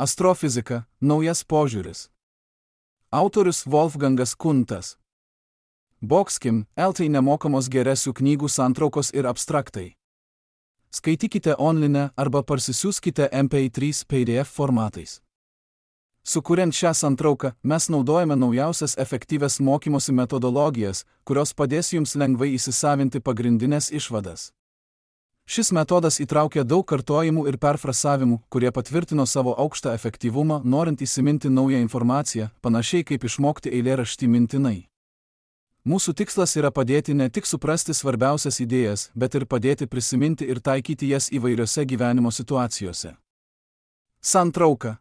Astrofizika – naujas požiūris. Autorius Wolfgangas Kuntas. Boxkim, LT nemokamos geresių knygų santraukos ir abstraktai. Skaitykite online arba parsisiųskite MP3 PDF formatais. Sukuriant šią santrauką, mes naudojame naujausias efektyvias mokymosi metodologijas, kurios padės jums lengvai įsisavinti pagrindinės išvadas. Šis metodas įtraukia daug kartojimų ir perfrasavimų, kurie patvirtino savo aukštą efektyvumą, norint įsiminti naują informaciją, panašiai kaip išmokti eilėraštį mintinai. Mūsų tikslas yra padėti ne tik suprasti svarbiausias idėjas, bet ir padėti prisiminti ir taikyti jas įvairiose gyvenimo situacijose. Santrauka.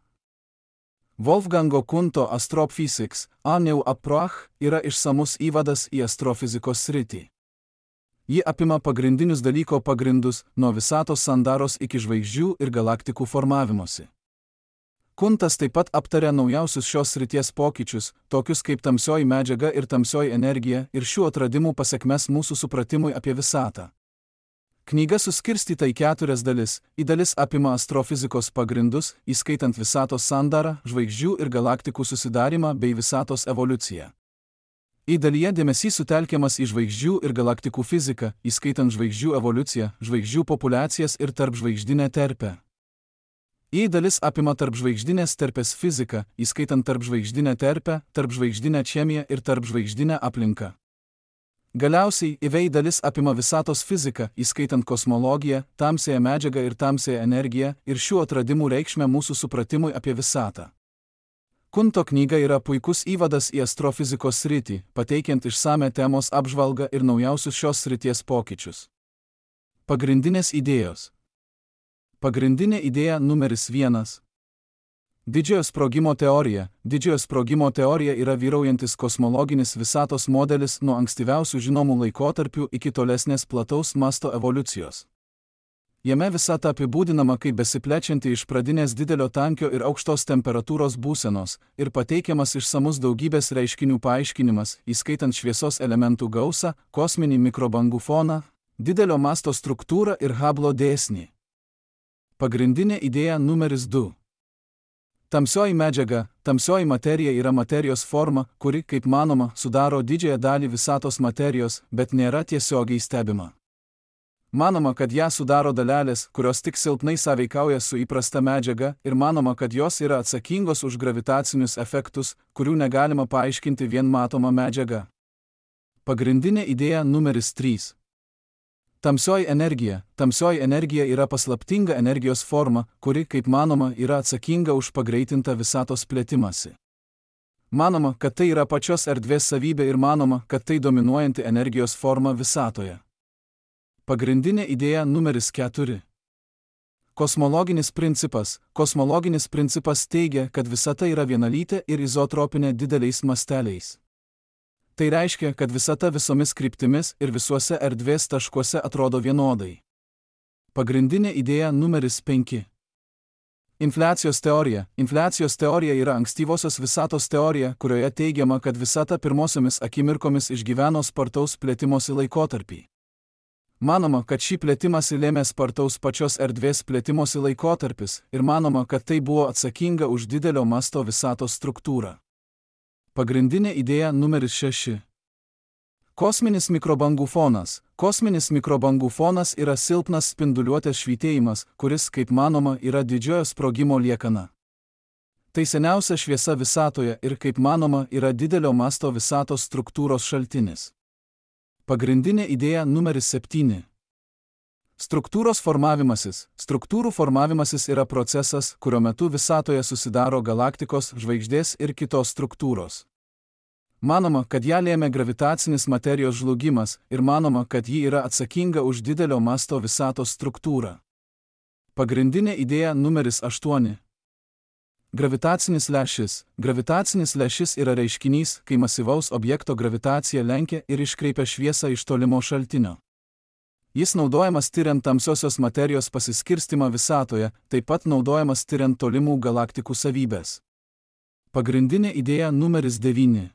Wolfgango Kunto Astrophysics, a new approach yra išsamus įvadas į astrofizikos sritį. Ji apima pagrindinius dalyko pagrindus, nuo visatos sandaros iki žvaigždžių ir galaktikų formavimosi. Kuntas taip pat aptarė naujausius šios srities pokyčius, tokius kaip tamsioji medžiaga ir tamsioji energija, ir šių atradimų pasekmes mūsų supratimui apie visatą. Knyga suskirstyta į 4 dalis. Į dalis apima astrofizikos pagrindus, įskaitant visatos sandarą, žvaigždžių ir galaktikų susidarimą bei visatos evoliuciją. Į dalyje dėmesys sutelkiamas į žvaigždžių ir galaktikų fiziką, įskaitant žvaigždžių evoliuciją, žvaigždžių populiacijas ir tarpžvaigždinę terpę. Į dalis apima tarpžvaigždinės terpės fiziką, įskaitant tarpžvaigždinę terpę, tarpžvaigždinę chemiją ir tarpžvaigždinę aplinką. Galiausiai, į dalis apima visatos fiziką, įskaitant kosmologiją, tamsiąją medžiagą ir tamsiąją energiją, ir šių atradimų reikšmę mūsų supratimui apie visatą. Kunto knyga yra puikus įvadas į astrofizikos sritį, pateikiant išsame temos apžvalgą ir naujausius šios srities pokyčius. Pagrindinės idėjos. Pagrindinė idėja numeris 1. Didžiojo sprogimo teorija. Didžiojo sprogimo teorija yra vyraujantis kosmologinis visatos modelis nuo ankstyviausių žinomų laikotarpių iki tolesnės plataus masto evoliucijos. Jame visata apibūdinama kaip besiplečianti iš pradinės didelio tankio ir aukštos temperatūros būsenos ir pateikiamas išsamus daugybės reiškinių paaiškinimas, įskaitant šviesos elementų gausą, kosminį mikrobangų foną, didelio masto struktūrą ir Hubble'o dėsnį. Pagrindinė idėja numeris 2. Tamsioji medžiaga. Tamsioji materija yra materijos forma, kuri, kaip manoma, sudaro didžiąją dalį visatos materijos, bet nėra tiesiogiai stebima. Manoma, kad ją sudaro dalelės, kurios tik silpnai sąveikauja su įprasta medžiaga, ir manoma, kad jos yra atsakingos už gravitacinius efektus, kurių negalima paaiškinti vien matoma medžiaga. Pagrindinė idėja numeris 3. Tamsioji energija. Tamsioji energija yra paslaptinga energijos forma, kuri, kaip manoma, yra atsakinga už pagreitintą visatos plėtimąsi. Manoma, kad tai yra pačios erdvės savybė ir manoma, kad tai dominuojanti energijos forma visatoje. Pagrindinė idėja numeris 4. Kosmologinis principas. Kosmologinis principas teigia, kad visata yra vienalytė ir izotropinė dideliais masteliais. Tai reiškia, kad visata visomis kryptimis ir visuose erdvės taškuose atrodo vienodai. Pagrindinė idėja numeris 5. Infliacijos teorija. Infliacijos teorija yra ankstyvosios visatos teorija, kurioje teigiama, kad visata pirmosiomis akimirkomis išgyveno spartaus plėtimosi laikotarpį. Manoma, kad šį plėtimąsi lėmė spartaus pačios erdvės plėtimosi laikotarpis ir manoma, kad tai buvo atsakinga už didelio masto visatos struktūrą. Pagrindinė idėja numeris 6. Kosminis mikrobangų fonas. Kosminis mikrobangų fonas yra silpnas spinduliuotės švytėjimas, kuris, kaip manoma, yra didžiojo sprogimo liekana. Tai seniausia šviesa visatoje ir, kaip manoma, yra didelio masto visatos struktūros šaltinis. Pagrindinė idėja numeris 7. Struktūros formavimasis. Struktūrų formavimasis yra procesas, kurio metu visatoje susidaro galaktikos, žvaigždės ir kitos struktūros. Manoma, kad ją lėmė gravitacinis materijos žlugimas ir manoma, kad ji yra atsakinga už didelio masto visatos struktūrą. Pagrindinė idėja numeris 8. Gravitacinis lęšis. Gravitacinis lęšis yra reiškinys, kai masyvaus objekto gravitacija lenkia ir iškreipia šviesą iš tolimo šaltinio. Jis naudojamas tyriant tamsiosios materijos pasiskirstimą visatoje, taip pat naudojamas tyriant tolimų galaktikų savybės. Pagrindinė idėja numeris 9.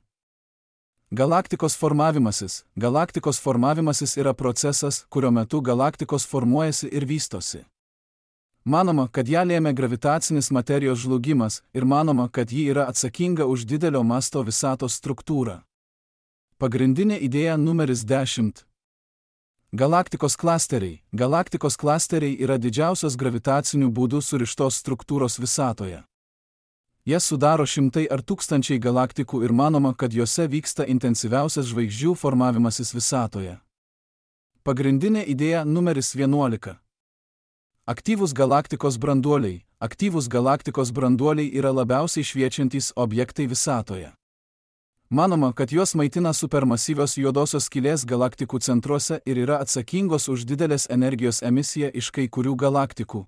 Galaktikos formavimasis. Galaktikos formavimasis yra procesas, kurio metu galaktikos formuojasi ir vystosi. Manoma, kad ją lėmė gravitacinis materijos žlugimas ir manoma, kad ji yra atsakinga už didelio masto visatos struktūrą. Pagrindinė idėja numeris 10. Galaktikos klasteriai. Galaktikos klasteriai yra didžiausios gravitacinių būdų surištos struktūros visatoje. Jas sudaro šimtai ar tūkstančiai galaktikų ir manoma, kad juose vyksta intensyviausias žvaigždžių formavimasis visatoje. Pagrindinė idėja numeris 11. Aktyvūs galaktikos branduoliai. Aktyvūs galaktikos branduoliai yra labiausiai šviečiantys objektai visatoje. Manoma, kad juos maitina supermasyvios juodosios skylės galaktikų centruose ir yra atsakingos už didelės energijos emisiją iš kai kurių galaktikų.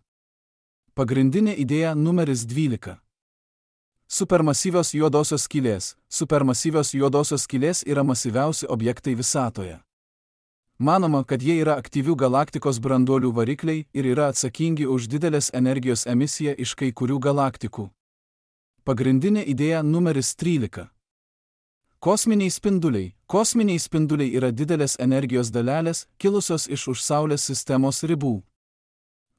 Pagrindinė idėja numeris 12. Supermasyvios juodosios skylės. Supermasyvios juodosios skylės yra masyviausi objektai visatoje. Manoma, kad jie yra aktyvių galaktikos branduolių varikliai ir yra atsakingi už didelės energijos emisiją iš kai kurių galaktikų. Pagrindinė idėja numeris 13. Kosminiai spinduliai. Kosminiai spinduliai yra didelės energijos dalelės, kilusios iš už Saulės sistemos ribų.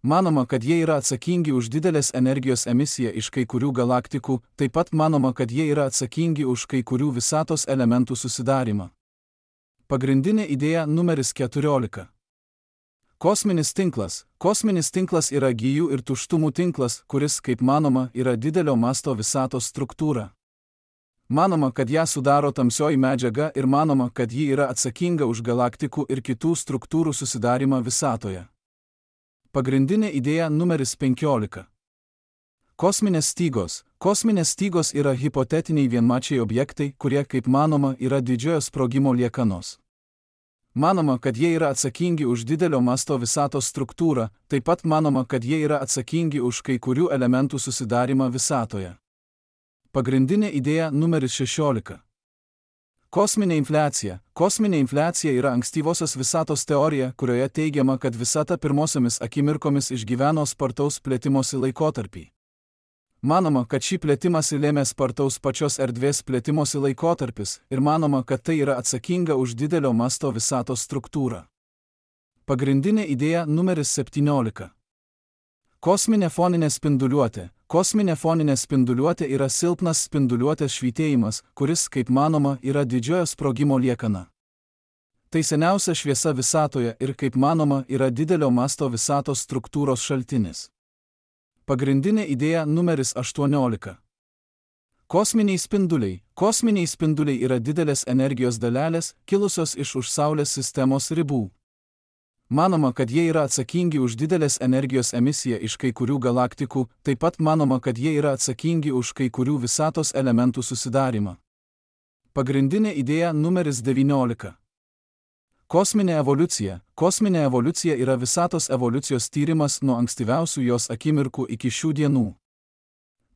Manoma, kad jie yra atsakingi už didelės energijos emisiją iš kai kurių galaktikų, taip pat manoma, kad jie yra atsakingi už kai kurių visatos elementų susidarimą. Pagrindinė idėja numeris 14. Kosminis tinklas. Kosminis tinklas yra gijų ir tuštumų tinklas, kuris, kaip manoma, yra didelio masto visatos struktūra. Manoma, kad ją sudaro tamsioji medžiaga ir manoma, kad ji yra atsakinga už galaktikų ir kitų struktūrų susidarimą visatoje. Pagrindinė idėja numeris 15. Kosminės stygos. Kosminės stygos yra hipotetiniai vienmačiai objektai, kurie, kaip manoma, yra didžiojo sprogimo liekanos. Manoma, kad jie yra atsakingi už didelio masto visatos struktūrą, taip pat manoma, kad jie yra atsakingi už kai kurių elementų susidarimą visatoje. Pagrindinė idėja numeris 16. Kosminė infliacija. Kosminė infliacija yra ankstyvosios visatos teorija, kurioje teigiama, kad visata pirmosiomis akimirkomis išgyveno spartaus plėtimosi laikotarpį. Manoma, kad šį plėtimąsi lėmė spartaus pačios erdvės plėtimosi laikotarpis ir manoma, kad tai yra atsakinga už didelio masto visatos struktūrą. Pagrindinė idėja numeris 17. Kosminė foninė spinduliuotė. Kosminė foninė spinduliuotė yra silpnas spinduliuotės švytėjimas, kuris, kaip manoma, yra didžiojo sprogimo liekana. Tai seniausia šviesa visatoje ir, kaip manoma, yra didelio masto visatos struktūros šaltinis. Pagrindinė idėja numeris 18. Kosminiai spinduliai. Kosminiai spinduliai yra didelės energijos dalelės, kilusios iš už Saulės sistemos ribų. Manoma, kad jie yra atsakingi už didelės energijos emisiją iš kai kurių galaktikų, taip pat manoma, kad jie yra atsakingi už kai kurių visatos elementų susidarimą. Pagrindinė idėja numeris 19. Kosminė evoliucija. Kosminė evoliucija yra visatos evoliucijos tyrimas nuo ankstyviausių jos akimirkų iki šių dienų.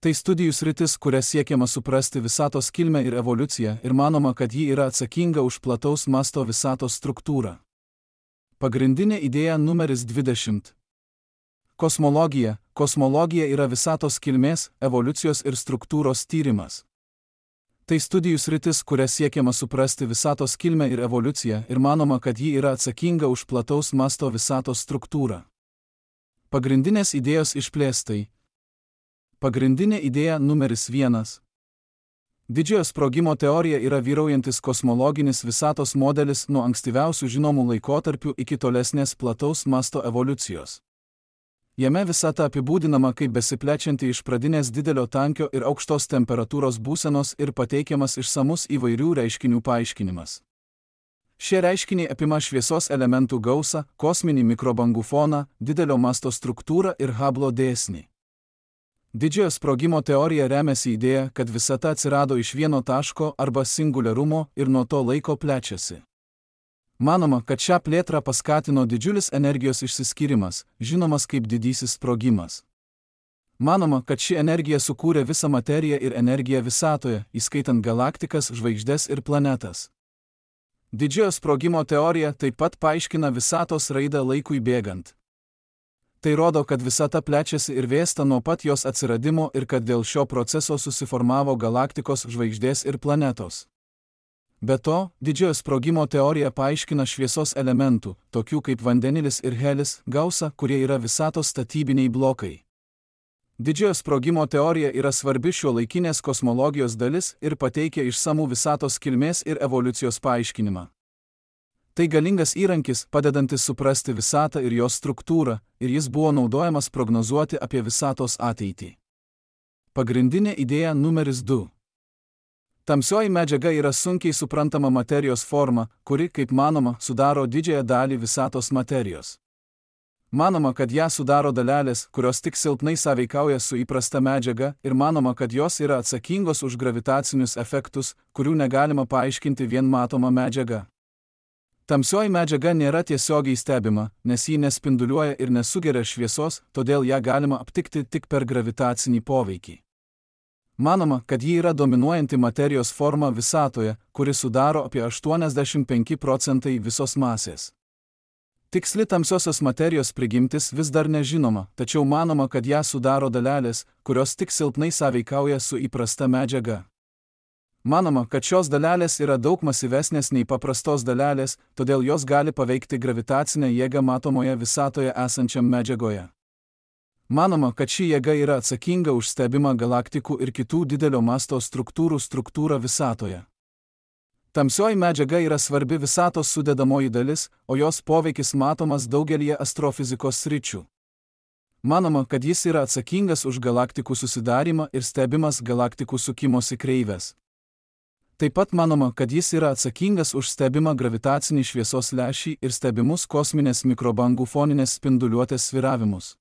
Tai studijų sritis, kuria siekiama suprasti visatos kilmę ir evoliuciją ir manoma, kad ji yra atsakinga už plataus masto visatos struktūrą. Pagrindinė idėja numeris 20. Kosmologija. Kosmologija yra visatos kilmės, evoliucijos ir struktūros tyrimas. Tai studijų sritis, kuria siekiama suprasti visatos kilmę ir evoliuciją ir manoma, kad ji yra atsakinga už plataus masto visatos struktūrą. Pagrindinės idėjos išplėstai. Pagrindinė idėja numeris 1. Didžiojo sprogimo teorija yra vyraujantis kosmologinis visatos modelis nuo ankstyviausių žinomų laikotarpių iki tolesnės plataus masto evoliucijos. Jame visata apibūdinama kaip besiplečianti iš pradinės didelio tankio ir aukštos temperatūros būsenos ir pateikiamas išsamus įvairių reiškinių paaiškinimas. Šie reiškiniai apima šviesos elementų gausą, kosminį mikrobangų foną, didelio masto struktūrą ir Hubble'o dėsnį. Didžiojo sprogimo teorija remiasi idėja, kad visata atsirado iš vieno taško arba singuliarumo ir nuo to laiko plečiasi. Manoma, kad šią plėtrą paskatino didžiulis energijos išsiskyrimas, žinomas kaip didysis sprogimas. Manoma, kad ši energija sukūrė visą materiją ir energiją visatoje, įskaitant galaktikas, žvaigždes ir planetas. Didžiojo sprogimo teorija taip pat paaiškina visatos raidą laikui bėgant. Tai rodo, kad visata plečiasi ir vėsta nuo pat jos atsiradimo ir kad dėl šio proceso susiformavo galaktikos, žvaigždės ir planetos. Be to, didžiojo sprogimo teorija paaiškina šviesos elementų, tokių kaip vandenilis ir helis, gausą, kurie yra visatos statybiniai blokai. Didžiojo sprogimo teorija yra svarbi šiuolaikinės kosmologijos dalis ir pateikia išsamų visatos kilmės ir evoliucijos paaiškinimą. Tai galingas įrankis, padedantis suprasti visatą ir jos struktūrą, ir jis buvo naudojamas prognozuoti apie visatos ateitį. Pagrindinė idėja numeris 2. Tamsioji medžiaga yra sunkiai suprantama materijos forma, kuri, kaip manoma, sudaro didžiąją dalį visatos materijos. Manoma, kad ją sudaro dalelės, kurios tik silpnai sąveikauja su įprasta medžiaga, ir manoma, kad jos yra atsakingos už gravitacinius efektus, kurių negalima paaiškinti vien matoma medžiaga. Tamsioji medžiaga nėra tiesiogiai stebima, nes ji nespinduliuoja ir nesugeria šviesos, todėl ją galima aptikti tik per gravitacinį poveikį. Manoma, kad ji yra dominuojanti materijos forma visatoje, kuri sudaro apie 85% visos masės. Tiksli tamsiosios materijos prigimtis vis dar nežinoma, tačiau manoma, kad ją sudaro dalelės, kurios tik silpnai sąveikauja su įprasta medžiaga. Manoma, kad šios dalelės yra daug masyvesnės nei paprastos dalelės, todėl jos gali paveikti gravitacinę jėgą matomoje visatoje esančiam medžiagoje. Manoma, kad ši jėga yra atsakinga už stebimą galaktikų ir kitų didelio masto struktūrą visatoje. Tamsioji medžiaga yra svarbi visatos sudedamoji dalis, o jos poveikis matomas daugelyje astrofizikos sričių. Manoma, kad jis yra atsakingas už galaktikų susidarimą ir stebimas galaktikų sukimosi kreivės. Taip pat manoma, kad jis yra atsakingas už stebimą gravitacinį šviesos lęšį ir stebimus kosminės mikrobangų foninės spinduliuotės sviravimus.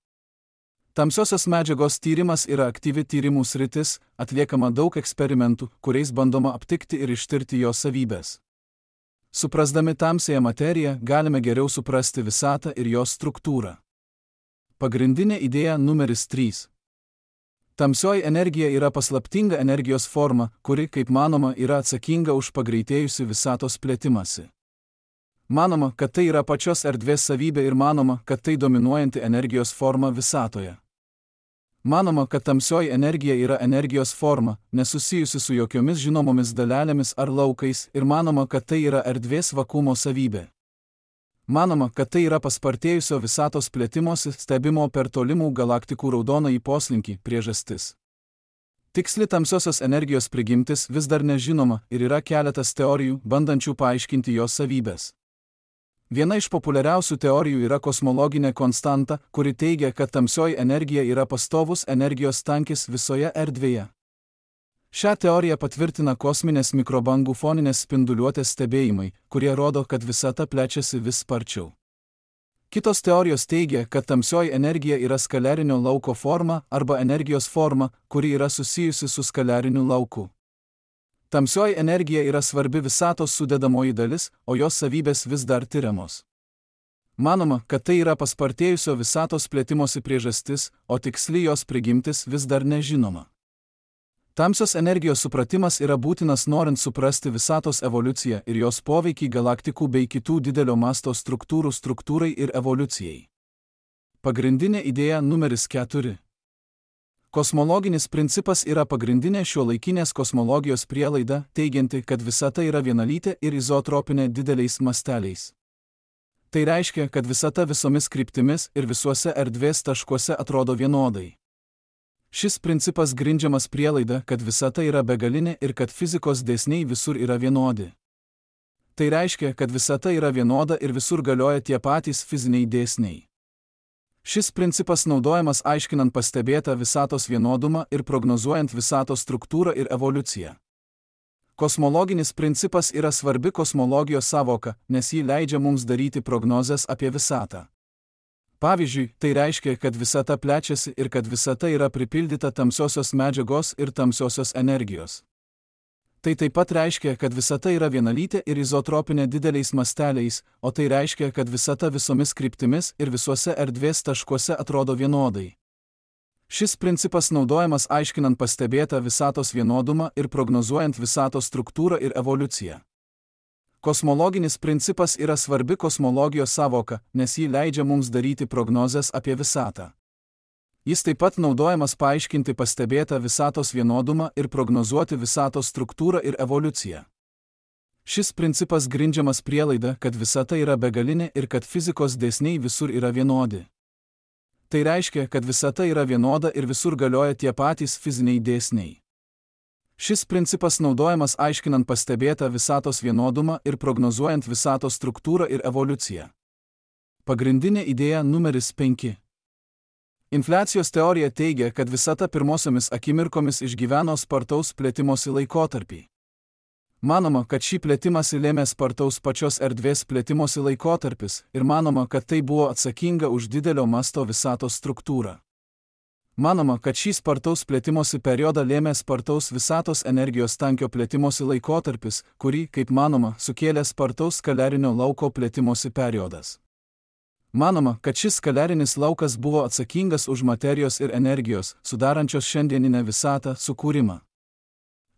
Tamsiosios medžiagos tyrimas yra aktyvi tyrimų sritis, atliekama daug eksperimentų, kuriais bandoma aptikti ir ištirti jos savybės. Suprasdami tamsiąją materiją, galime geriau suprasti visatą ir jos struktūrą. Pagrindinė idėja numeris 3. Tamsioji energija yra paslaptinga energijos forma, kuri, kaip manoma, yra atsakinga už pagreitėjusi visatos plėtimąsi. Manoma, kad tai yra pačios erdvės savybė ir manoma, kad tai dominuojanti energijos forma visatoje. Manoma, kad tamsioji energija yra energijos forma, nesusijusi su jokiomis žinomomis dalelėmis ar laukais, ir manoma, kad tai yra erdvės vakuumo savybė. Manoma, kad tai yra paspartėjusio visatos plėtimosi stebimo per tolimų galaktikų raudonąjį poslinkį priežastis. Tiksli tamsiosios energijos prigimtis vis dar nežinoma ir yra keletas teorijų, bandančių paaiškinti jos savybės. Viena iš populiariausių teorijų yra kosmologinė konstanta, kuri teigia, kad tamsioji energija yra pastovus energijos tankis visoje erdvėje. Šią teoriją patvirtina kosminės mikrobangų foninės spinduliuotės stebėjimai, kurie rodo, kad visata plečiasi vis sparčiau. Kitos teorijos teigia, kad tamsioji energija yra skalerinio lauko forma arba energijos forma, kuri yra susijusi su skaleriniu lauku. Tamsioji energija yra svarbi visatos sudedamoji dalis, o jos savybės vis dar tiriamos. Manoma, kad tai yra paspartėjusio visatos plėtimosi priežastis, o tiksli jos prigimtis vis dar nežinoma. Tamsios energijos supratimas yra būtinas norint suprasti visatos evoliuciją ir jos poveikį galaktikų bei kitų didelio masto struktūrai ir evoliucijai. Pagrindinė idėja numeris 4. Kosmologinis principas yra pagrindinė šiuolaikinės kosmologijos prielaida, teigianti, kad visata yra vienalytė ir izotropinė dideliais masteliais. Tai reiškia, kad visata visomis kryptimis ir visuose erdvės taškuose atrodo vienodai. Šis principas grindžiamas prielaida, kad visata yra begalinė ir kad fizikos dėsniai visur yra vienodi. Tai reiškia, kad visata yra vienoda ir visur galioja tie patys fiziniai dėsniai. Šis principas naudojamas aiškinant pastebėtą visatos vienodumą ir prognozuojant visatos struktūrą ir evoliuciją. Kosmologinis principas yra svarbi kosmologijos sąvoka, nes ji leidžia mums daryti prognozes apie visatą. Pavyzdžiui, tai reiškia, kad visata plečiasi ir kad visata yra pripildyta tamsiosios medžiagos ir tamsiosios energijos. Tai taip pat reiškia, kad visata yra vienalytė ir izotropinė dideliais masteliais, o tai reiškia, kad visata visomis kryptimis ir visuose erdvės taškuose atrodo vienodai. Šis principas naudojamas aiškinant pastebėtą visatos vienodumą ir prognozuojant visatos struktūrą ir evoliuciją. Kosmologinis principas yra svarbi kosmologijos sąvoka, nes ji leidžia mums daryti prognozes apie visatą. Jis taip pat naudojamas paaiškinti pastebėtą visatos vienodumą ir prognozuoti visatos struktūrą ir evoliuciją. Šis principas grindžiamas prielaida, kad visata yra begalinė ir kad fizikos dėsniai visur yra vienodi. Tai reiškia, kad visata yra vienoda ir visur galioja tie patys fiziniai dėsniai. Šis principas naudojamas aiškinant pastebėtą visatos vienodumą ir prognozuojant visatos struktūrą ir evoliuciją. Pagrindinė idėja numeris 5. Infliacijos teorija teigia, kad visata pirmosiomis akimirkomis išgyveno spartaus plėtimosi laikotarpį. Manoma, kad šį plėtimąsi lėmė spartaus pačios erdvės plėtimosi laikotarpis ir manoma, kad tai buvo atsakinga už didelio masto visatos struktūrą. Manoma, kad šį spartaus plėtimosi periodą lėmė spartaus visatos energijos tankio plėtimosi laikotarpis, kurį, kaip manoma, sukėlė spartaus skalerinio lauko plėtimosi periodas. Manoma, kad šis skalerinis laukas buvo atsakingas už materijos ir energijos, sudarančios šiandieninę visatą, sukūrimą.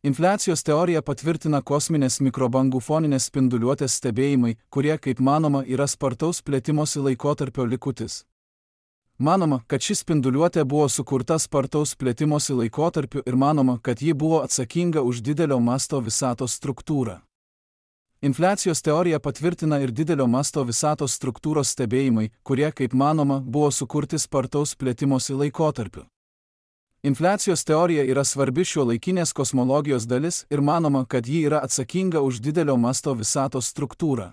Infliacijos teorija patvirtina kosminės mikrobangų foninės spinduliuotės stebėjimai, kurie, kaip manoma, yra spartaus plėtimosi laikotarpio likutis. Manoma, kad ši spinduliuotė buvo sukurta spartaus plėtimosi laikotarpiu ir manoma, kad ji buvo atsakinga už didelio masto visatos struktūrą. Infliacijos teorija patvirtina ir didelio masto visatos struktūros stebėjimai, kurie, kaip manoma, buvo sukurti spartaus plėtimosi laikotarpiu. Infliacijos teorija yra svarbi šiuolaikinės kosmologijos dalis ir manoma, kad ji yra atsakinga už didelio masto visatos struktūrą.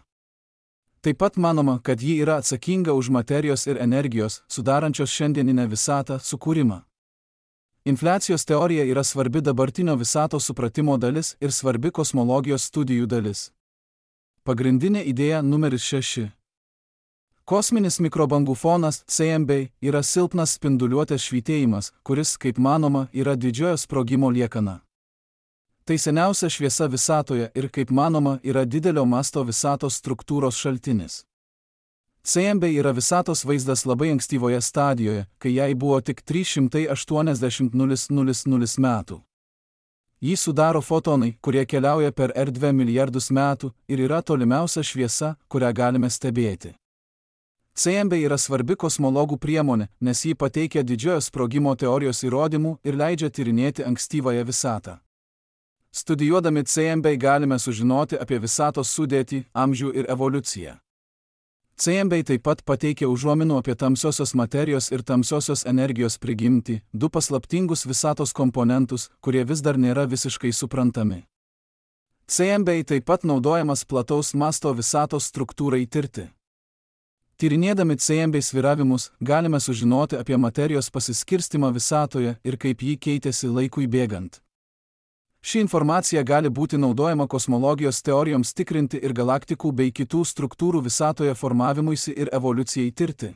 Taip pat manoma, kad ji yra atsakinga už materijos ir energijos, sudarančios šiandieninę visatą, sukūrimą. Infliacijos teorija yra svarbi dabartinio visatos supratimo dalis ir svarbi kosmologijos studijų dalis. Pagrindinė idėja numeris 6. Kosminis mikrobangų fonas CMB yra silpnas spinduliuotės švytėjimas, kuris, kaip manoma, yra didžiojo sprogimo liekana. Tai seniausia šviesa visatoje ir, kaip manoma, yra didelio masto visatos struktūros šaltinis. CMB yra visatos vaizdas labai ankstyvoje stadijoje, kai jai buvo tik 380 000 metų. Jį sudaro fotonai, kurie keliauja per erdvę milijardus metų ir yra tolimiausia šviesa, kurią galime stebėti. CMB yra svarbi kosmologų priemonė, nes ji pateikia didžiojo sprogimo teorijos įrodymų ir leidžia tyrinėti ankstyvąją visatą. Studijuodami CMB galime sužinoti apie visatos sudėtį, amžių ir evoliuciją. CMB taip pat pateikia užuominų apie tamsiosios materijos ir tamsiosios energijos prigimtį, du paslaptingus visatos komponentus, kurie vis dar nėra visiškai suprantami. CMB taip pat naudojamas plataus masto visatos struktūrai tirti. Tyrinėdami CMB sviravimus, galime sužinoti apie materijos pasiskirstimą visatoje ir kaip ji keitėsi laikui bėgant. Ši informacija gali būti naudojama kosmologijos teorijoms tikrinti ir galaktikų bei kitų struktūrų visatoje formavimuisi ir evoliucijai tirti.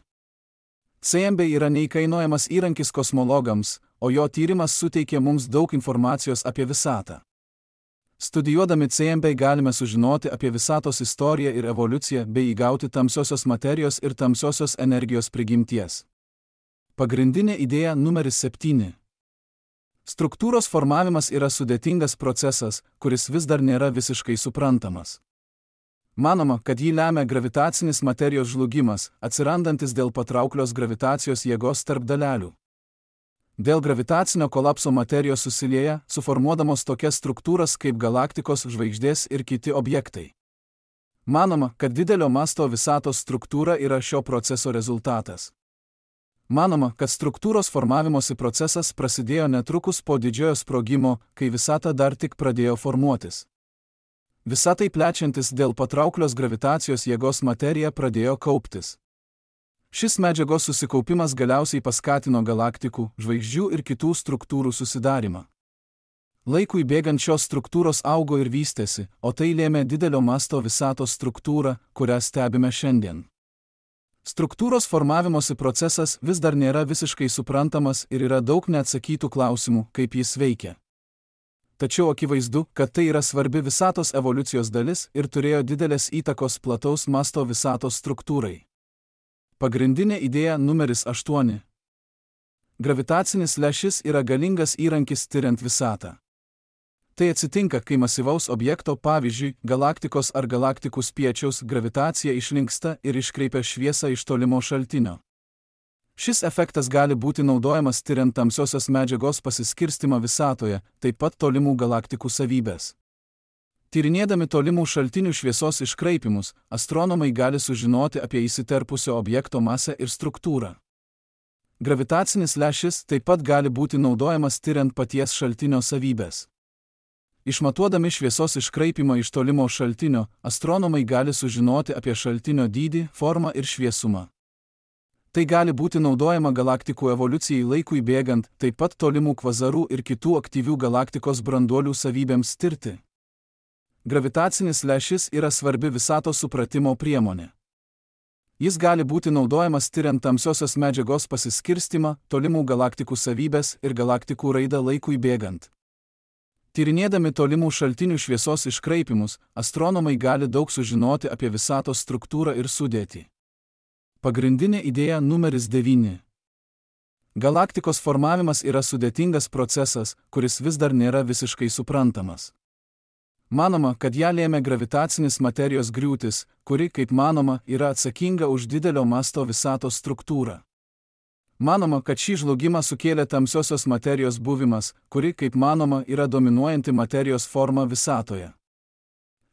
CMB yra neįkainojamas įrankis kosmologams, o jo tyrimas suteikia mums daug informacijos apie visatą. Studijuodami CMB galime sužinoti apie visatos istoriją ir evoliuciją bei įgauti tamsiosios materijos ir tamsiosios energijos prigimties. Pagrindinė idėja numeris 7. Struktūros formavimas yra sudėtingas procesas, kuris vis dar nėra visiškai suprantamas. Manoma, kad jį lemia gravitacinis materijos žlugimas, atsirandantis dėl patrauklios gravitacijos jėgos tarp dalelių. Dėl gravitacinio kolapso materijos susilieja, suformuodamos tokias struktūras kaip galaktikos, žvaigždės ir kiti objektai. Manoma, kad didelio masto visatos struktūra yra šio proceso rezultatas. Manoma, kad struktūros formavimosi procesas prasidėjo netrukus po didžiojo sprogimo, kai visata dar tik pradėjo formuotis. Visatai plečiantis dėl patrauklios gravitacijos jėgos materija pradėjo kauptis. Šis medžiagos susikaupimas galiausiai paskatino galaktikų, žvaigždžių ir kitų struktūrų susidarimą. Laikui bėgant šios struktūros augo ir vystėsi, o tai lėmė didelio masto visatos struktūrą, kurią stebime šiandien. Struktūros formavimosi procesas vis dar nėra visiškai suprantamas ir yra daug neatsakytų klausimų, kaip jis veikia. Tačiau akivaizdu, kad tai yra svarbi visatos evoliucijos dalis ir turėjo didelės įtakos plataus masto visatos struktūrai. Pagrindinė idėja numeris 8. Gravitacinis lęšis yra galingas įrankis tyriant visatą. Tai atsitinka, kai masyvaus objekto, pavyzdžiui, galaktikos ar galaktikų spiečiaus gravitacija išlinksta ir iškreipia šviesą iš tolimo šaltinio. Šis efektas gali būti naudojamas tyriant tamsiosios medžiagos pasiskirstimą visatoje, taip pat tolimų galaktikų savybės. Tyrinėdami tolimų šaltinių šviesos iškraipimus, astronomai gali sužinoti apie įsiterpusio objekto masę ir struktūrą. Gravitacinis lęšis taip pat gali būti naudojamas tiriant paties šaltinio savybės. Išmatuodami šviesos iškraipimą iš tolimo šaltinio, astronomai gali sužinoti apie šaltinio dydį, formą ir šviesumą. Tai gali būti naudojama galaktikų evoliucijai laikui bėgant, taip pat tolimų kvazarų ir kitų aktyvių galaktikos branduolių savybėms tirti. Gravitacinis lęšis yra svarbi visatos supratimo priemonė. Jis gali būti naudojamas tiriant tamsiosios medžiagos pasiskirstimą, tolimų galaktikų savybės ir galaktikų raidą laikui bėgant. Tyrinėdami tolimų šaltinių šviesos iškraipimus, astronomai gali daug sužinoti apie visatos struktūrą ir sudėtį. Pagrindinė idėja numeris 9. Galaktikos formavimas yra sudėtingas procesas, kuris vis dar nėra visiškai suprantamas. Manoma, kad ją lėmė gravitacinis materijos griūtis, kuri, kaip manoma, yra atsakinga už didelio masto visatos struktūrą. Manoma, kad šį žlugimą sukėlė tamsiosios materijos buvimas, kuri, kaip manoma, yra dominuojanti materijos forma visatoje.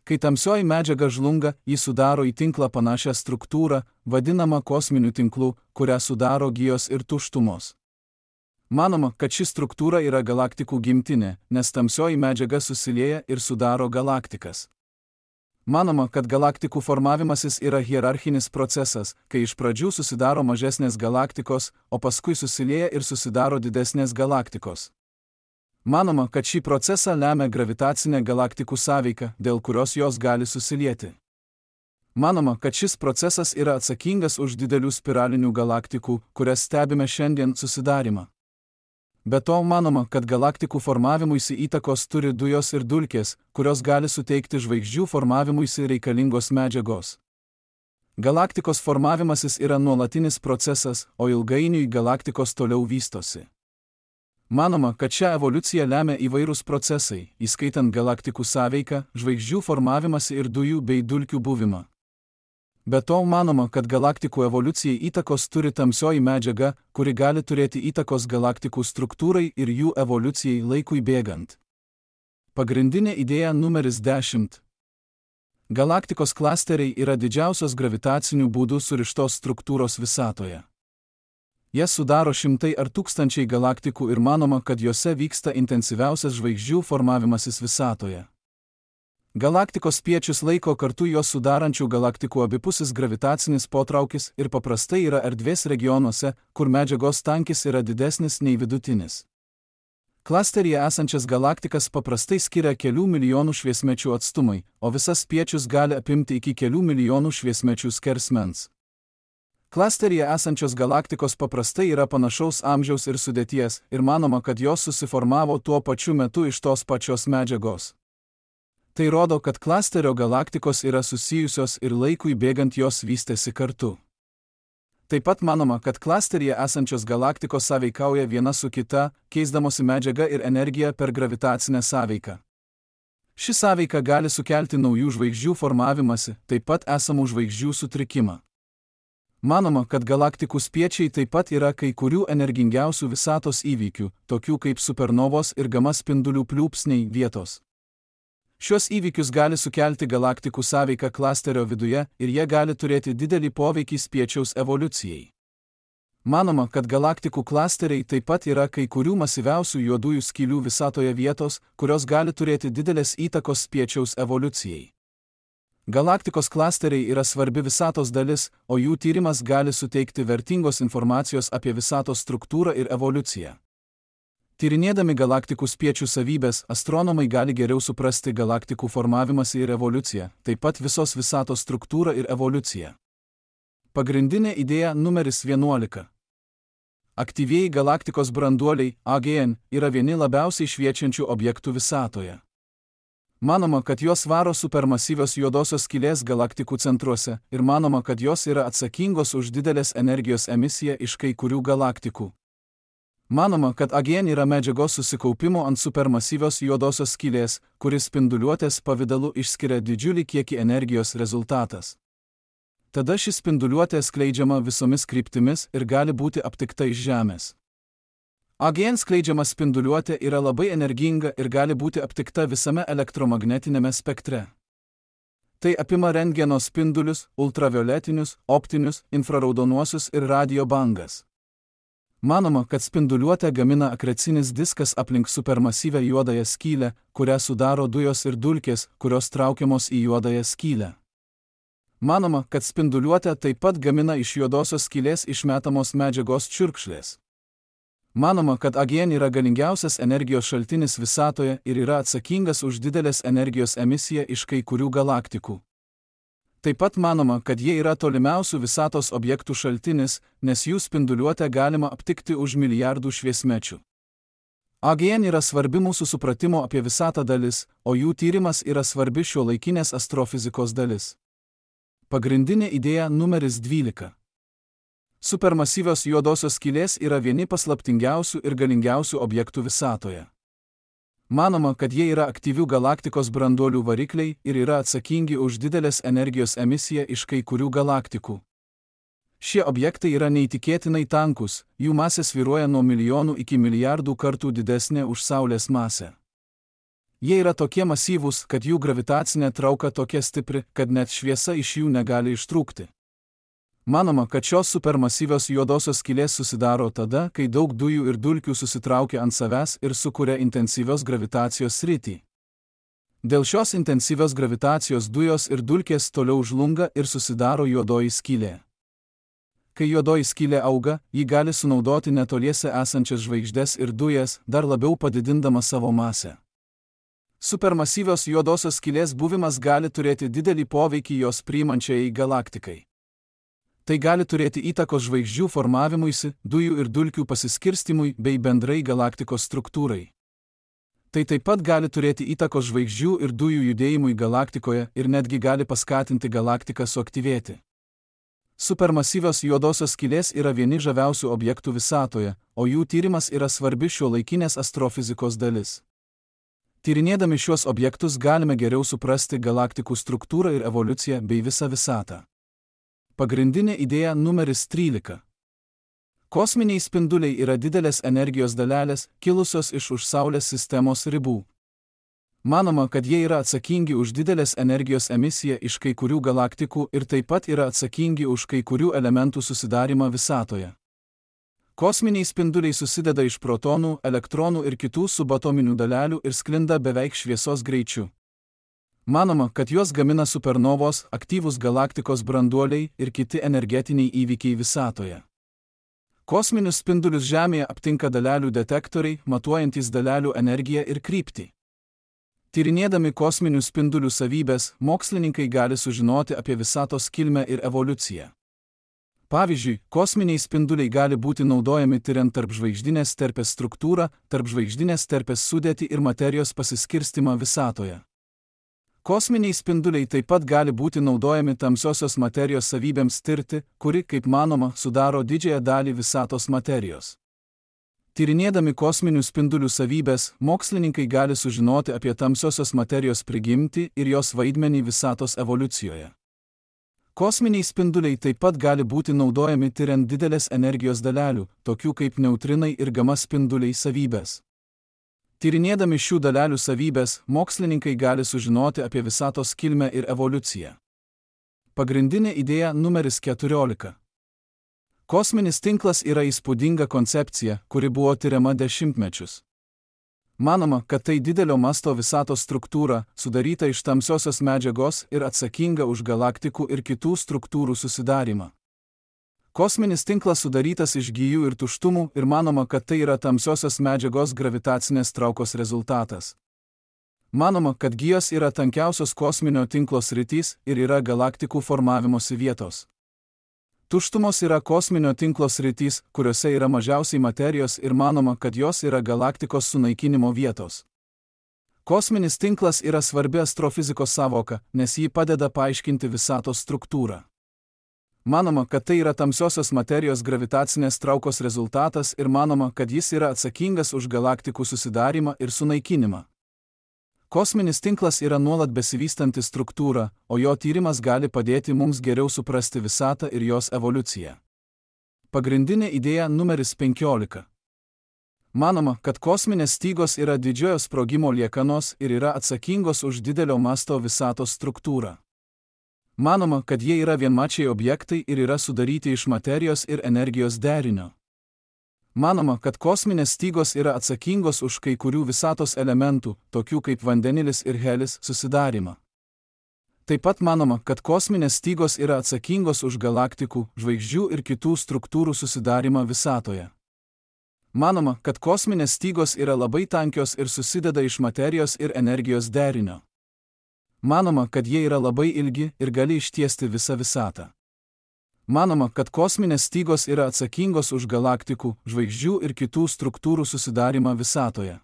Kai tamsioji medžiaga žlunga, ji sudaro į tinklą panašią struktūrą, vadinamą kosminiu tinklu, kurią sudaro gijos ir tuštumos. Manoma, kad ši struktūra yra galaktikų gimtinė, nes tamsioji medžiaga susilieja ir sudaro galaktikas. Manoma, kad galaktikų formavimasis yra hierarchinis procesas, kai iš pradžių susidaro mažesnės galaktikos, o paskui susilieja ir susidaro didesnės galaktikos. Manoma, kad šį procesą lemia gravitacinė galaktikų sąveika, dėl kurios jos gali susilieti. Manoma, kad šis procesas yra atsakingas už didelių spiralinių galaktikų, kurias stebime šiandien, susidarimą. Be to manoma, kad galaktikų formavimuisi įtakos turi dujos ir dulkės, kurios gali suteikti žvaigždžių formavimuisi reikalingos medžiagos. Galaktikos formavimasis yra nuolatinis procesas, o ilgainiui galaktikos toliau vystosi. Manoma, kad šią evoliuciją lemia įvairūs procesai, įskaitant galaktikų sąveiką, žvaigždžių formavimąsi ir dujų bei dulkių buvimą. Be to manoma, kad galaktikų evoliucijai įtakos turi tamsioji medžiaga, kuri gali turėti įtakos galaktikų struktūrai ir jų evoliucijai laikui bėgant. Pagrindinė idėja numeris 10. Galaktikos klasteriai yra didžiausios gravitacinių būdų surištos struktūros visatoje. Jas sudaro šimtai ar tūkstančiai galaktikų ir manoma, kad jose vyksta intensyviausias žvaigždžių formavimasis visatoje. Galaktikos spiečius laiko kartu jos sudarančių galaktikų abipusis gravitacinis potraukis ir paprastai yra erdvės regionuose, kur medžiagos tankis yra didesnis nei vidutinis. Klasteryje esančias galaktikas paprastai skiria kelių milijonų šviesmečių atstumai, o visas spiečius gali apimti iki kelių milijonų šviesmečių skersmens. Klasteryje esančios galaktikos paprastai yra panašaus amžiaus ir sudėties, ir manoma, kad jos susiformavo tuo pačiu metu iš tos pačios medžiagos. Tai rodo, kad klasterio galaktikos yra susijusios ir laikui bėgant jos vystėsi kartu. Taip pat manoma, kad klasteryje esančios galaktikos sąveikauja viena su kita, keisdamosi medžiagą ir energiją per gravitacinę sąveiką. Ši sąveika gali sukelti naujų žvaigždžių formavimąsi, taip pat esamų žvaigždžių sutrikimą. Manoma, kad galaktikų spiečiai taip pat yra kai kurių energingiausių visatos įvykių, tokių kaip supernovos ir gama spindulių pliūpsniai vietos. Šios įvykius gali sukelti galaktikų sąveiką klasterio viduje ir jie gali turėti didelį poveikį spiečiaus evoliucijai. Manoma, kad galaktikų klasteriai taip pat yra kai kurių masyviausių juodųjų skylių visatoje vietos, kurios gali turėti didelės įtakos spiečiaus evoliucijai. Galaktikos klasteriai yra svarbi visatos dalis, o jų tyrimas gali suteikti vertingos informacijos apie visatos struktūrą ir evoliuciją. Tyrinėdami galaktikų spiečių savybės, astronomai gali geriau suprasti galaktikų formavimąsi ir evoliuciją, taip pat visos visatos struktūrą ir evoliuciją. Pagrindinė idėja numeris 11. Aktyvieji galaktikos branduoliai, AGN, yra vieni labiausiai šviečiančių objektų visatoje. Manoma, kad jos varo supermasyvios juodosios skylės galaktikų centruose ir manoma, kad jos yra atsakingos už didelės energijos emisiją iš kai kurių galaktikų. Manoma, kad AGN yra medžiagos susikaupimo ant supermasyvios juodosios skylės, kuris spinduliuotės pavidalu išskiria didžiulį kiekį energijos rezultatas. Tada ši spinduliuotė skleidžiama visomis kryptimis ir gali būti aptikta iš Žemės. AGN skleidžiama spinduliuotė yra labai energinga ir gali būti aptikta visame elektromagnetinėme spektre. Tai apima rentgeno spindulius, ultravioletinius, optinius, infraraudonuosius ir radio bangas. Manoma, kad spinduliuotę gamina akrecinis diskas aplink supermasyvią juodąją skylę, kurią sudaro dujos ir dulkės, kurios traukiamos į juodąją skylę. Manoma, kad spinduliuotę taip pat gamina iš juodosios skylės išmetamos medžiagos čiurkšlės. Manoma, kad AGN yra galingiausias energijos šaltinis visatoje ir yra atsakingas už didelės energijos emisiją iš kai kurių galaktikų. Taip pat manoma, kad jie yra tolimiausių visatos objektų šaltinis, nes jų spinduliuotę galima aptikti už milijardų šviesmečių. AGN yra svarbi mūsų supratimo apie visatą dalis, o jų tyrimas yra svarbi šiuolaikinės astrofizikos dalis. Pagrindinė idėja numeris 12. Supermasyvios juodosios skylės yra vieni paslaptingiausių ir galingiausių objektų visatoje. Manoma, kad jie yra aktyvių galaktikos branduolių varikliai ir yra atsakingi už didelės energijos emisiją iš kai kurių galaktikų. Šie objektai yra neįtikėtinai tankus, jų masė svyruoja nuo milijonų iki milijardų kartų didesnė už Saulės masę. Jie yra tokie masyvūs, kad jų gravitacinė trauka tokia stipri, kad net šviesa iš jų negali ištrūkti. Manoma, kad šios supermasyvios juodosios skylės susidaro tada, kai daug dujų ir dulkių susitraukia ant savęs ir sukuria intensyvios gravitacijos sritį. Dėl šios intensyvios gravitacijos dujos ir dulkės toliau žlunga ir susidaro juodoji skylė. Kai juodoji skylė auga, ji gali sunaudoti netoliese esančias žvaigždes ir dujas, dar labiau padidindama savo masę. Supermasyvios juodosios skylės buvimas gali turėti didelį poveikį jos priimančiai galaktikai. Tai gali turėti įtakos žvaigždžių formavimuisi, dujų ir dulkių pasiskirstimui bei bendrai galaktikos struktūrai. Tai taip pat gali turėti įtakos žvaigždžių ir dujų judėjimui galaktikoje ir netgi gali paskatinti galaktiką suaktyvėti. Supermasyvios juodosios skylės yra vieni žaviausių objektų visatoje, o jų tyrimas yra svarbi šiuolaikinės astrofizikos dalis. Tyrinėdami šiuos objektus galime geriau suprasti galaktikų struktūrą ir evoliuciją bei visą visatą. Pagrindinė idėja numeris 13. Kosminiai spinduliai yra didelės energijos dalelės, kilusios iš už Saulės sistemos ribų. Manoma, kad jie yra atsakingi už didelės energijos emisiją iš kai kurių galaktikų ir taip pat yra atsakingi už kai kurių elementų susidarimą visatoje. Kosminiai spinduliai susideda iš protonų, elektronų ir kitų subatominių dalelių ir sklinda beveik šviesos greičiu. Manoma, kad juos gamina supernovos, aktyvūs galaktikos branduoliai ir kiti energetiniai įvykiai visatoje. Kosminius spindulius Žemėje aptinka dalelių detektoriai, matuojantys dalelių energiją ir kryptį. Tyrinėdami kosminių spindulių savybės, mokslininkai gali sužinoti apie visatos kilmę ir evoliuciją. Pavyzdžiui, kosminiai spinduliai gali būti naudojami tyriant tarpžvaigždinės terpės struktūrą, tarpžvaigždinės terpės sudėtį ir materijos pasiskirstimą visatoje. Kosminiai spinduliai taip pat gali būti naudojami tamsiosios materijos savybėms tirti, kuri, kaip manoma, sudaro didžiąją dalį visatos materijos. Tyrinėdami kosminių spindulių savybės, mokslininkai gali sužinoti apie tamsiosios materijos prigimtį ir jos vaidmenį visatos evoliucijoje. Kosminiai spinduliai taip pat gali būti naudojami tyriant didelės energijos dalelių, tokių kaip neutrinai ir gama spinduliai savybės. Tyrinėdami šių dalelių savybės, mokslininkai gali sužinoti apie visatos kilmę ir evoliuciją. Pagrindinė idėja numeris 14. Kosminis tinklas yra įspūdinga koncepcija, kuri buvo tyriama dešimtmečius. Manoma, kad tai didelio masto visatos struktūra, sudaryta iš tamsiosios medžiagos ir atsakinga už galaktikų ir kitų struktūrų susidarimą. Kosminis tinklas sudarytas iš gijų ir tuštumų ir manoma, kad tai yra tamsiosios medžiagos gravitacinės traukos rezultatas. Manoma, kad gijos yra tankiausios kosminio tinklo sritys ir yra galaktikų formavimosi vietos. Tuštumos yra kosminio tinklo sritys, kuriuose yra mažiausiai materijos ir manoma, kad jos yra galaktikos sunaikinimo vietos. Kosminis tinklas yra svarbi astrofizikos sąvoka, nes ji padeda paaiškinti visatos struktūrą. Manoma, kad tai yra tamsiosios materijos gravitacinės traukos rezultatas ir manoma, kad jis yra atsakingas už galaktikų susidarimą ir sunaikinimą. Kosminis tinklas yra nuolat besivystanti struktūra, o jo tyrimas gali padėti mums geriau suprasti visatą ir jos evoliuciją. Pagrindinė idėja numeris 15. Manoma, kad kosminės stygos yra didžiojo sprogimo liekanos ir yra atsakingos už didelio masto visatos struktūrą. Manoma, kad jie yra vienmačiai objektai ir yra sudaryti iš materijos ir energijos derinio. Manoma, kad kosminės stygos yra atsakingos už kai kurių visatos elementų, tokių kaip vandenilis ir helis, susidarimą. Taip pat manoma, kad kosminės stygos yra atsakingos už galaktikų, žvaigždžių ir kitų struktūrų susidarimą visatoje. Manoma, kad kosminės stygos yra labai tankios ir susideda iš materijos ir energijos derinio. Manoma, kad jie yra labai ilgi ir gali ištiesti visą visatą. Manoma, kad kosminės stygos yra atsakingos už galaktikų, žvaigždžių ir kitų struktūrų susidarimą visatoje.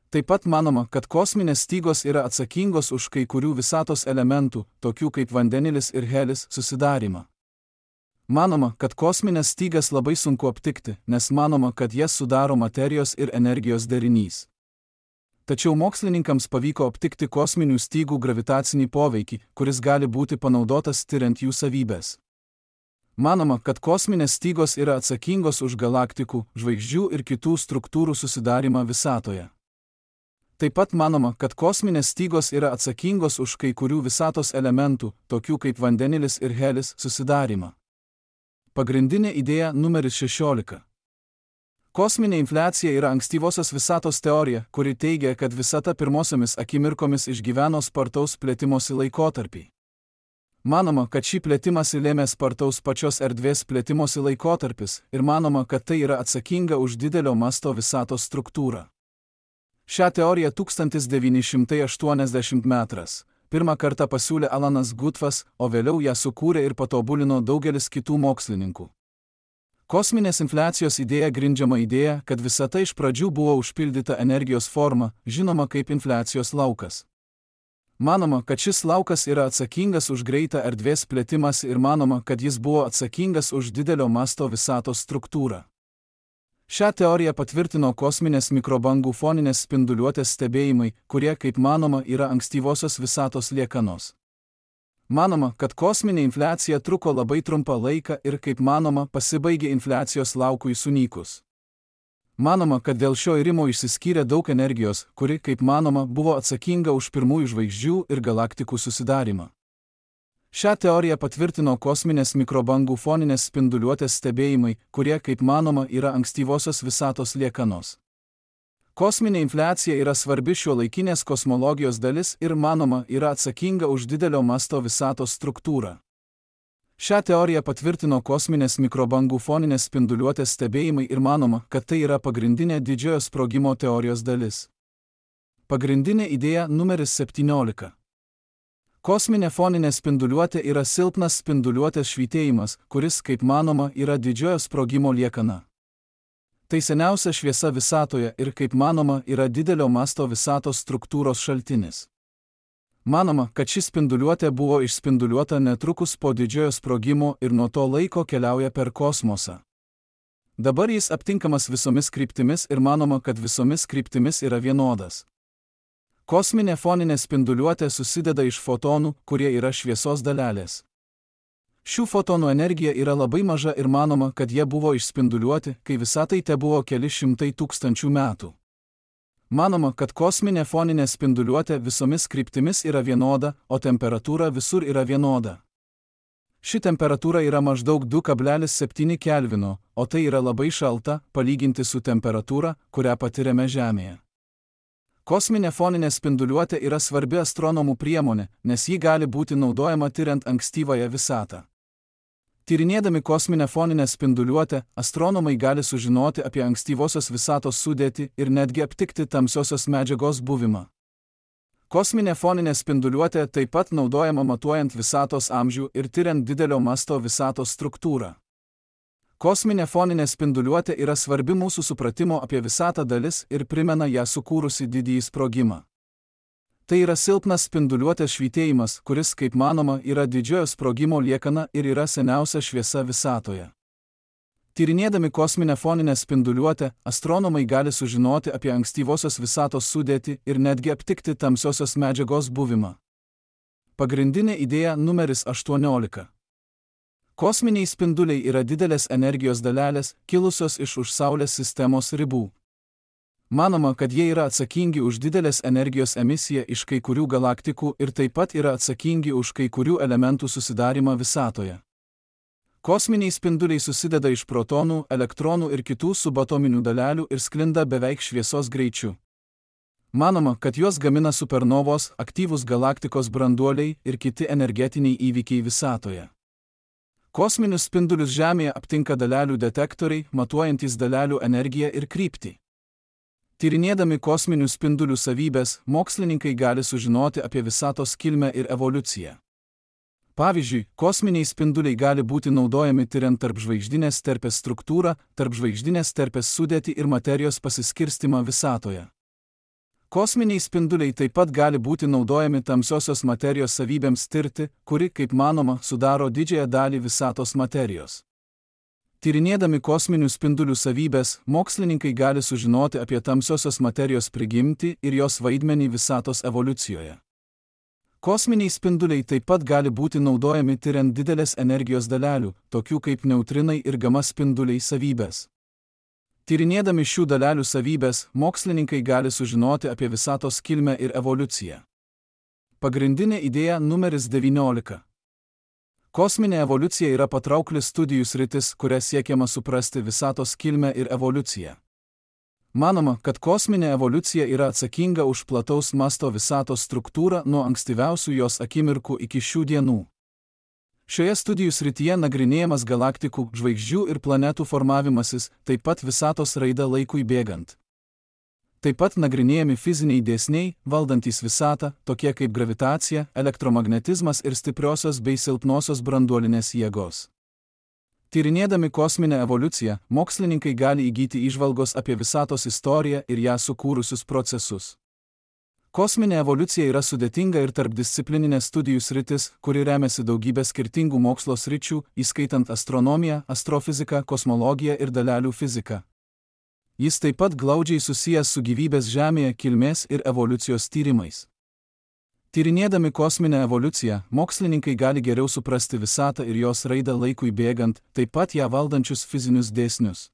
Taip pat manoma, kad kosminės stygos yra atsakingos už kai kurių visatos elementų, tokių kaip vandenilis ir helis, susidarimą. Manoma, kad kosminės stygas labai sunku aptikti, nes manoma, kad jas sudaro materijos ir energijos derinys. Tačiau mokslininkams pavyko aptikti kosminių stygų gravitacinį poveikį, kuris gali būti panaudotas tiriant jų savybės. Manoma, kad kosminės stygos yra atsakingos už galaktikų, žvaigždžių ir kitų struktūrų susidarimą visatoje. Taip pat manoma, kad kosminės stygos yra atsakingos už kai kurių visatos elementų, tokių kaip vandenilis ir helis, susidarimą. Pagrindinė idėja numeris 16. Kosminė infliacija yra ankstyvosios visatos teorija, kuri teigia, kad visata pirmosiomis akimirkomis išgyveno spartaus plėtimosi laikotarpį. Manoma, kad šį plėtimąsi lėmė spartaus pačios erdvės plėtimosi laikotarpis ir manoma, kad tai yra atsakinga už didelio masto visatos struktūrą. Šią teoriją 1980 m. pirmą kartą pasiūlė Alanas Guthas, o vėliau ją sukūrė ir patobulino daugelis kitų mokslininkų. Kosminės infliacijos idėja grindžiama idėja, kad visata iš pradžių buvo užpildyta energijos forma, žinoma kaip infliacijos laukas. Manoma, kad šis laukas yra atsakingas už greitą erdvės plėtimąsi ir manoma, kad jis buvo atsakingas už didelio masto visatos struktūrą. Šią teoriją patvirtino kosminės mikrobangų foninės spinduliuotės stebėjimai, kurie, kaip manoma, yra ankstyvosios visatos liekanos. Manoma, kad kosminė infliacija truko labai trumpą laiką ir, kaip manoma, pasibaigė infliacijos laukui sunykus. Manoma, kad dėl šio irimo išsiskyrė daug energijos, kuri, kaip manoma, buvo atsakinga už pirmųjų žvaigždžių ir galaktikų susidarimą. Šią teoriją patvirtino kosminės mikrobangų foninės spinduliuotės stebėjimai, kurie, kaip manoma, yra ankstyvosios visatos liekanos. Kosminė infliacija yra svarbi šiuolaikinės kosmologijos dalis ir, manoma, yra atsakinga už didelio masto visatos struktūrą. Šią teoriją patvirtino kosminės mikrobangų foninės spinduliuotės stebėjimai ir manoma, kad tai yra pagrindinė didžiojo sprogimo teorijos dalis. Pagrindinė idėja numeris 17. Kosminė foninė spinduliuotė yra silpnas spinduliuotės švytėjimas, kuris, kaip manoma, yra didžiojo sprogimo liekana. Tai seniausia šviesa visatoje ir, kaip manoma, yra didelio masto visatos struktūros šaltinis. Manoma, kad ši spinduliuotė buvo išspinduliuota netrukus po didžiojo sprogimo ir nuo to laiko keliauja per kosmosą. Dabar jis aptinkamas visomis kryptimis ir manoma, kad visomis kryptimis yra vienodas. Kosminė foninė spinduliuotė susideda iš fotonų, kurie yra šviesos dalelės. Šių fotonų energija yra labai maža ir manoma, kad jie buvo išspinduliuoti, kai visatai tebuvo keli šimtai tūkstančių metų. Manoma, kad kosminė foninė spinduliuotė visomis kryptimis yra vienoda, o temperatūra visur yra vienoda. Ši temperatūra yra maždaug 2,7 kelvino, o tai yra labai šalta, palyginti su temperatūra, kurią patiriame Žemėje. Kosminė foninė spinduliuotė yra svarbi astronomų priemonė, nes ji gali būti naudojama tiriant ankstyvąją visatą. Tyrinėdami kosminę foninę spinduliuotę, astronomai gali sužinoti apie ankstyvosios visatos sudėtį ir netgi aptikti tamsiosios medžiagos buvimą. Kosminė foninė spinduliuotė taip pat naudojama matuojant visatos amžių ir tiriant didelio masto visatos struktūrą. Kosminė foninė spinduliuotė yra svarbi mūsų supratimo apie visatą dalis ir primena ją sukūrusi didįjį sprogimą. Tai yra silpnas spinduliuotės švytėjimas, kuris, kaip manoma, yra didžiojo sprogimo liekana ir yra seniausia šviesa visatoje. Tyrinėdami kosminę foninę spinduliuotę, astronomai gali sužinoti apie ankstyvosios visatos sudėtį ir netgi aptikti tamsiosios medžiagos buvimą. Pagrindinė idėja numeris 18. Kosminiai spinduliai yra didelės energijos dalelės, kilusios iš už Saulės sistemos ribų. Manoma, kad jie yra atsakingi už didelės energijos emisiją iš kai kurių galaktikų ir taip pat yra atsakingi už kai kurių elementų susidarimą visatoje. Kosminiai spinduliai susideda iš protonų, elektronų ir kitų subatominių dalelių ir sklinda beveik šviesos greičiu. Manoma, kad juos gamina supernovos, aktyvūs galaktikos branduoliai ir kiti energetiniai įvykiai visatoje. Kosminius spindulius Žemėje aptinka dalelių detektoriai, matuojantys dalelių energiją ir kryptį. Tyrinėdami kosminių spindulių savybės, mokslininkai gali sužinoti apie visatos kilmę ir evoliuciją. Pavyzdžiui, kosminiai spinduliai gali būti naudojami tyriant tarpžvaigždinės terpės struktūrą, tarpžvaigždinės terpės sudėtį ir materijos pasiskirstimą visatoje. Kosminiai spinduliai taip pat gali būti naudojami tamsiosios materijos savybėms tirti, kuri, kaip manoma, sudaro didžiąją dalį visatos materijos. Tyrinėdami kosminių spindulių savybės, mokslininkai gali sužinoti apie tamsiosios materijos prigimtį ir jos vaidmenį visatos evoliucijoje. Kosminiai spinduliai taip pat gali būti naudojami tyriant didelės energijos dalelių, tokių kaip neutrinai ir gama spinduliai savybės. Tyrinėdami šių dalelių savybės, mokslininkai gali sužinoti apie visatos kilmę ir evoliuciją. Pagrindinė idėja numeris 19. Kosminė evoliucija yra patraukli studijų sritis, kuria siekiama suprasti visatos kilmę ir evoliuciją. Manoma, kad kosminė evoliucija yra atsakinga už plataus masto visatos struktūrą nuo ankstyviausių jos akimirkų iki šių dienų. Šioje studijų srityje nagrinėjamas galaktikų, žvaigždžių ir planetų formavimasis, taip pat visatos raida laikui bėgant. Taip pat nagrinėjami fiziniai dėsniai, valdantys visatą, tokie kaip gravitacija, elektromagnetizmas ir stipriosios bei silpnosios branduolinės jėgos. Tyrinėdami kosminę evoliuciją, mokslininkai gali įgyti įžvalgos apie visatos istoriją ir ją sukūrusius procesus. Kosminė evoliucija yra sudėtinga ir tarpdisciplininė studijų sritis, kuri remiasi daugybę skirtingų mokslo sričių, įskaitant astronomiją, astrofiziką, kosmologiją ir dalelių fiziką. Jis taip pat glaudžiai susijęs su gyvybės Žemėje kilmės ir evoliucijos tyrimais. Tyrinėdami kosminę evoliuciją, mokslininkai gali geriau suprasti visatą ir jos raidą laikui bėgant, taip pat ją valdančius fizinius dėsnius.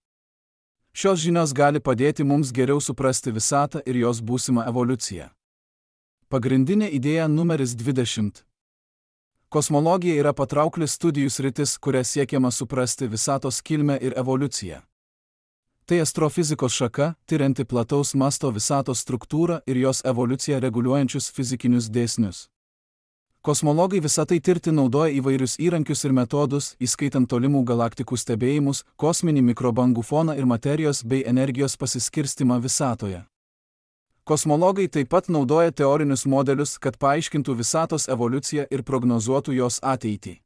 Šios žinios gali padėti mums geriau suprasti visatą ir jos būsimą evoliuciją. Pagrindinė idėja numeris 20. Kosmologija yra patraukli studijų sritis, kuria siekiama suprasti visatos kilmę ir evoliuciją. Tai astrofizikos šaka, tyrianti plataus masto visatos struktūrą ir jos evoliuciją reguliuojančius fizikinius dėsnius. Kosmologai visatai tirti naudoja įvairius įrankius ir metodus, įskaitant tolimų galaktikų stebėjimus, kosminį mikrobangų foną ir materijos bei energijos pasiskirstimą visatoje. Kosmologai taip pat naudoja teorinius modelius, kad paaiškintų visatos evoliuciją ir prognozuotų jos ateitį.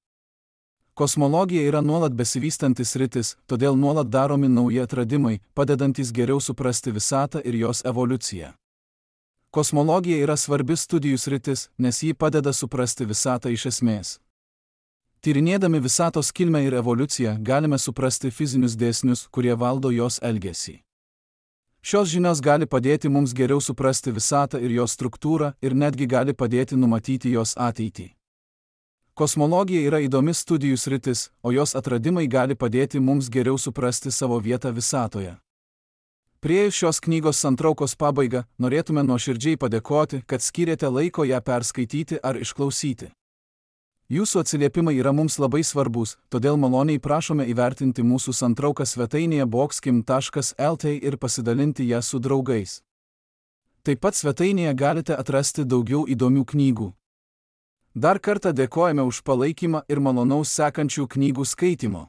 Kosmologija yra nuolat besivystantis sritis, todėl nuolat daromi nauji atradimai, padedantis geriau suprasti visatą ir jos evoliuciją. Kosmologija yra svarbi studijų sritis, nes ji padeda suprasti visatą iš esmės. Tyrinėdami visatos kilmę ir evoliuciją, galime suprasti fizinius dėsnius, kurie valdo jos elgesį. Šios žinios gali padėti mums geriau suprasti visatą ir jos struktūrą ir netgi gali padėti numatyti jos ateitį. Kosmologija yra įdomi studijų sritis, o jos atradimai gali padėti mums geriau suprasti savo vietą visatoje. Priėjus šios knygos santraukos pabaigą, norėtume nuoširdžiai padėkoti, kad skyrėte laiko ją perskaityti ar išklausyti. Jūsų atsiliepimai yra mums labai svarbus, todėl maloniai prašome įvertinti mūsų santrauką svetainėje boxkim.lt ir pasidalinti ją su draugais. Taip pat svetainėje galite atrasti daugiau įdomių knygų. Dar kartą dėkojame už palaikymą ir malonaus sekančių knygų skaitimo.